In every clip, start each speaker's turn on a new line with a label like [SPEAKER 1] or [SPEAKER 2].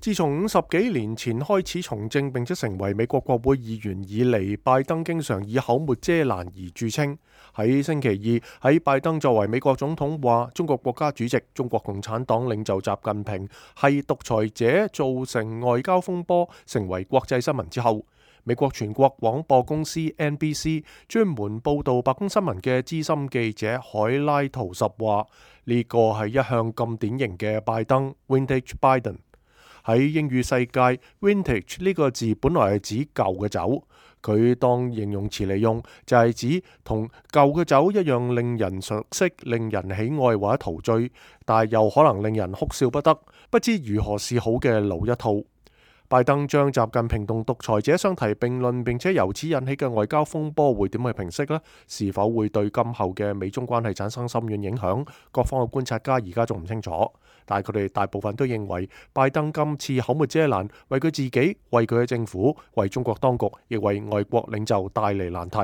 [SPEAKER 1] 自從50幾年前開始從政並且成為美國國會議員以嚟，拜登經常以口沒遮攔而著稱。喺星期二，喺拜登作為美國總統話中國國家主席、中國共產黨領袖習近平係獨裁者，造成外交風波，成為國際新聞之後，美國全國廣播公司 NBC 專門報導白宮新聞嘅資深記者海拉圖什話：呢個係一向咁典型嘅拜登 （Vintage Biden）。喺英語世界 ，vintage 呢個字本來係指舊嘅酒，佢當形容詞嚟用，就係指同舊嘅酒一樣令人熟悉、令人喜愛或者陶醉，但係又可能令人哭笑不得、不知如何是好嘅老一套。拜登將習近平同獨裁者相提並論，並且由此引起嘅外交風波會點去平息呢？是否會對今後嘅美中關係產生深遠影響？各方嘅觀察家而家仲唔清楚，但係佢哋大部分都認為拜登今次口沒遮攔，為佢自己、為佢嘅政府、為中國當局，亦為外國領袖帶嚟難題。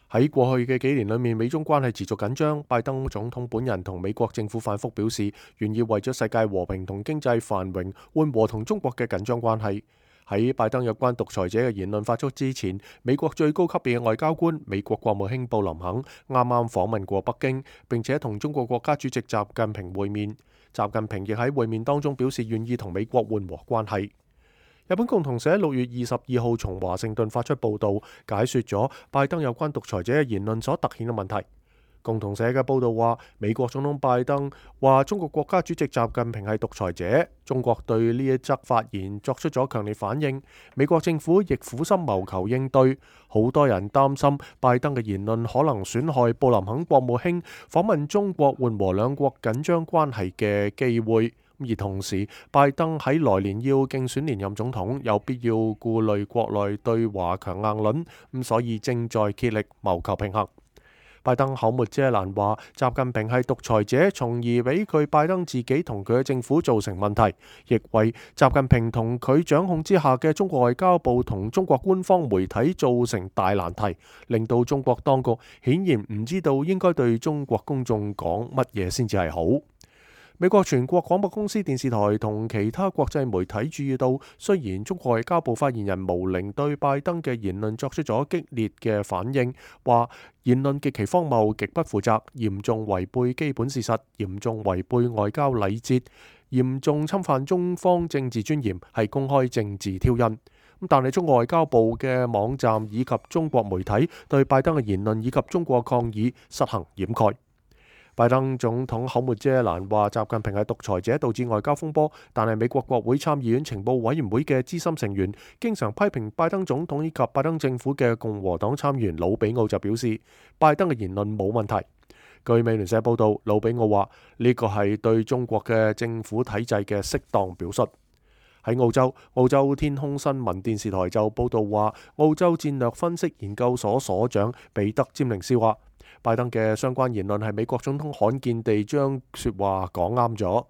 [SPEAKER 1] 喺過去嘅幾年裏面，美中關係持續緊張。拜登總統本人同美國政府反覆表示，願意為咗世界和平同經濟繁榮，緩和同中國嘅緊張關係。喺拜登有關獨裁者嘅言論發出之前，美國最高級別嘅外交官、美國國務卿布林肯啱啱訪問過北京，並且同中國國家主席習近平會面。習近平亦喺會面當中表示願意同美國緩和關係。日本共同社6月22號從華盛頓發出報導，解說咗拜登有關獨裁者嘅言論所突顯嘅問題。共同社嘅報導話，美國總統拜登話中國國家主席習近平係獨裁者，中國對呢一則發言作出咗強烈反應，美國政府亦苦心謀求應對。好多人擔心拜登嘅言論可能損害布林肯國務卿訪問中國緩和兩國緊張關係嘅機會。而同時，拜登喺來年要競選連任總統，有必要顧慮國內對華強硬論，所以正在竭力謀求平衡。拜登口沒遮攔話習近平係獨裁者，從而俾佢拜登自己同佢嘅政府造成問題，亦為習近平同佢掌控之下嘅中國外交部同中國官方媒體造成大難題，令到中國當局顯然唔知道應該對中國公眾講乜嘢先至係好。美國全國廣播公司電視台同其他國際媒體注意到，雖然中國外交部發言人毛寧對拜登嘅言論作出咗激烈嘅反應，話言論極其荒謬、極不負責，嚴重違背基本事實，嚴重違背外交禮節，嚴重侵犯中方政治尊嚴，係公開政治挑釁。但係中國外交部嘅網站以及中國媒體對拜登嘅言論以及中國抗議實行掩蓋。拜登總統口沒遮攔話習近平係獨裁者，導致外交風波。但係美國國會參議院情報委員會嘅資深成員，經常批評拜登總統以及拜登政府嘅共和黨參議員魯比奧就表示，拜登嘅言論冇問題。據美聯社報道，魯比奧話呢個係對中國嘅政府體制嘅適當表述。喺澳洲天空新聞電視台就報道話，澳洲戰略分析研究所所長彼得詹寧斯話，拜登嘅相關言論係美國總統罕見地將說話講啱咗。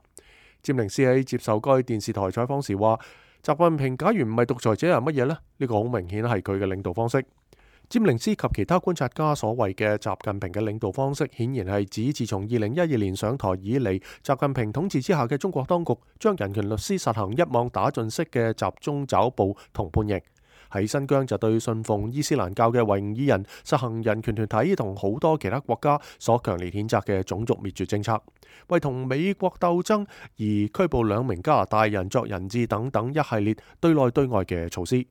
[SPEAKER 1] 詹寧斯喺接受該電視台採訪時話，習近平假如唔係獨裁者係乜嘢呢？呢個好明顯係佢嘅領導方式。詹寧斯及其他觀察家所謂嘅習近平嘅領導方式，顯然係指自從2012年上台以嚟，習近平統治之下嘅中國當局將人權律師實行一網打盡式嘅集中抓捕同判刑。喺新疆就對信奉伊斯蘭教嘅維吾爾人實行人權團體同好多其他國家所強烈譴責嘅種族滅絕政策，為同美國鬥爭而拘捕2名加拿大人作人質等等一系列對內對外嘅措施。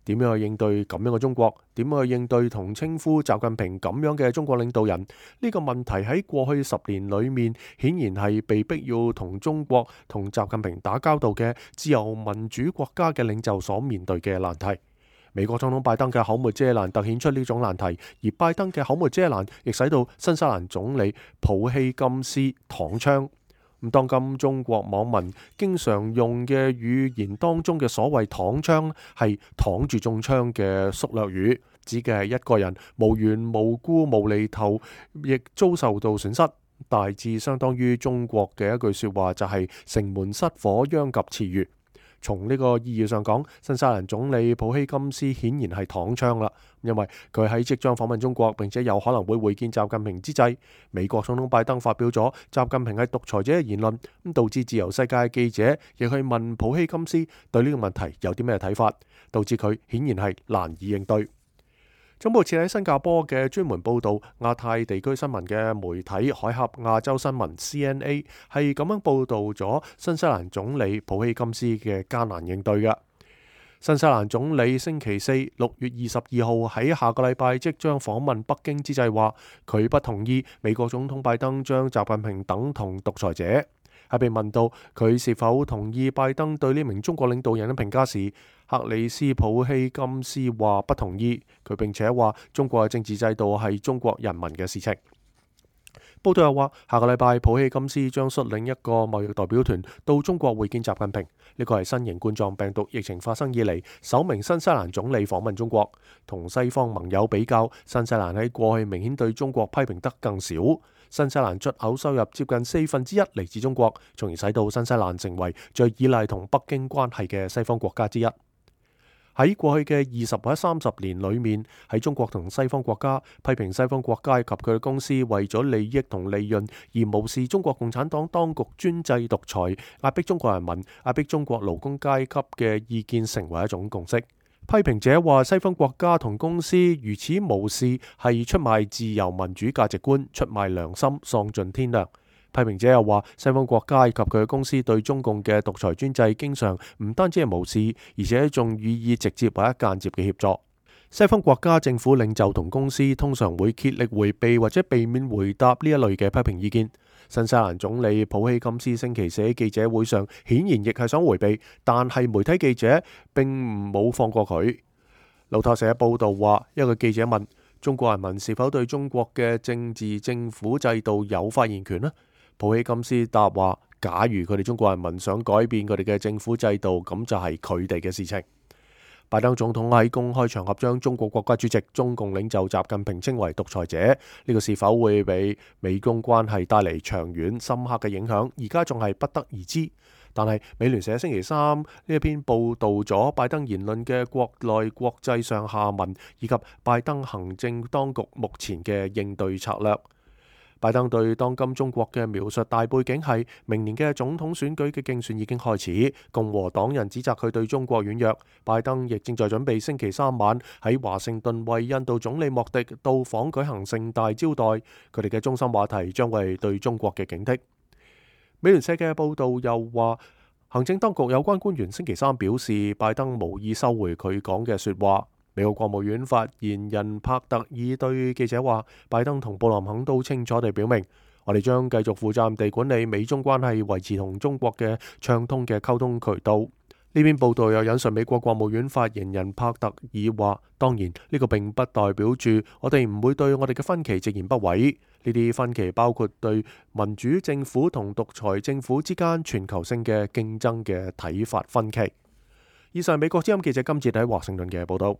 [SPEAKER 1] 點樣去應對咁樣嘅中國？點樣去應對同稱呼習近平咁樣嘅中國領導人？呢個問題喺過去10年裏面，顯然係被逼要同中國同習近平打交道嘅自由民主國家嘅領袖所面對嘅難題。美國總統拜登嘅口沒遮攔突顯出呢種難題，而拜登嘅口沒遮攔亦使到新西蘭總理普希金斯躺槍。當今中國網民經常用嘅語言當中嘅所謂躺槍，係躺住中槍嘅縮略語，指嘅係一個人無緣無故無厘頭亦遭受到損失，大致相當於中國嘅一句說話，就係城門失火殃及池魚。從呢個意義上講，新西蘭總理普希金斯顯然係躺槍啦，因為佢喺即將訪問中國並且有可能會會見習近平之際，美國總統拜登發表咗習近平係獨裁者嘅言論，咁導致自由世界嘅記者亦去問普希金斯對呢個問題有啲咩睇法，導致佢顯然係難以應對。總部設喺新加坡嘅專門報導亞太地區新聞嘅媒體海峽亞洲新聞 CNA 係咁樣報導咗新西蘭總理普希金斯嘅艱難應對嘅。新西蘭總理星期四6月22號喺下個禮拜即將訪問北京之際話，佢不同意美國總統拜登將習近平等同獨裁者。喺被問到佢是否同意拜登對呢名中國領導人嘅評價時，克里斯普希金斯話不同意。佢並且話中國嘅政治制度係中國人民嘅事情。報道又話，下個禮拜普希金斯將率領一個貿易代表團到中國會見習近平。呢個係新型冠狀病毒疫情發生以嚟首名新西蘭總理訪問中國。同西方盟友比較，新西蘭喺過去明顯對中國批評得更少。新西蘭出口收入接近1/4嚟自中國，從而使到新西蘭成為最依賴同北京關係嘅西方國家之一。喺過去嘅20或30年裏面，喺中國同西方國家批評西方國家及佢嘅公司為咗利益同利潤而無視中國共產黨當局專制獨裁、壓迫中國人民、壓迫中國勞工階級嘅意見成為一種共識。批評者話西方國家同公司如此無視係出賣自由民主價值觀、出賣良心、喪盡天良。批評者又話西方國家及佢嘅公司對中共嘅獨裁專制經常唔單止係無視，而且仲予以直接或者間接嘅協助。西方國家政府領袖同公司通常會竭力迴避或者避免回答呢一類嘅批評意見。新西蘭總理普希金斯星期四喺記者會上顯然亦係想迴避，但係媒體記者並冇放過佢。路透社報道話，一個記者問中國人民是否對中國嘅政治政府制度有發言權呢？普希金斯答話，假如佢哋中國人民想改變佢哋嘅政府制度，咁就係佢哋嘅事情。拜登總統喺公開場合將中國國家主席、中共領袖習近平稱為獨裁者，呢個是否會俾美中關係帶嚟長遠深刻嘅影響，而家仲係不得而知。但係美聯社星期三呢一篇報導咗拜登言論嘅國內國際上下文，以及拜登行政當局目前嘅應對策略。拜登對當今中國嘅描述大背景係明年嘅總統選舉嘅競選已經開始，共和黨人指責佢對中國軟弱。拜登亦正在準備星期三晚喺華盛頓為印度總理莫迪到訪舉行盛大招待，佢哋嘅中心話題將會係對中國嘅警惕。美聯社嘅報導又話，行政當局有關官員星期三表示，拜登無意收回佢講嘅説話。美國國務院發言人帕特爾對記者話，拜登同布林肯都清楚地表明，我哋將繼續負責任地管理美中關係，維持同中國嘅暢通嘅溝通渠道。呢篇報道又引述美國國務院發言人帕特爾話，當然呢個並不代表住我哋唔會對我哋嘅分歧直言不諱。呢啲分歧包括對民主政府同獨裁政府之間全球性嘅競爭嘅睇法分歧。以上係美國之音記者金哲喺華盛頓嘅報道。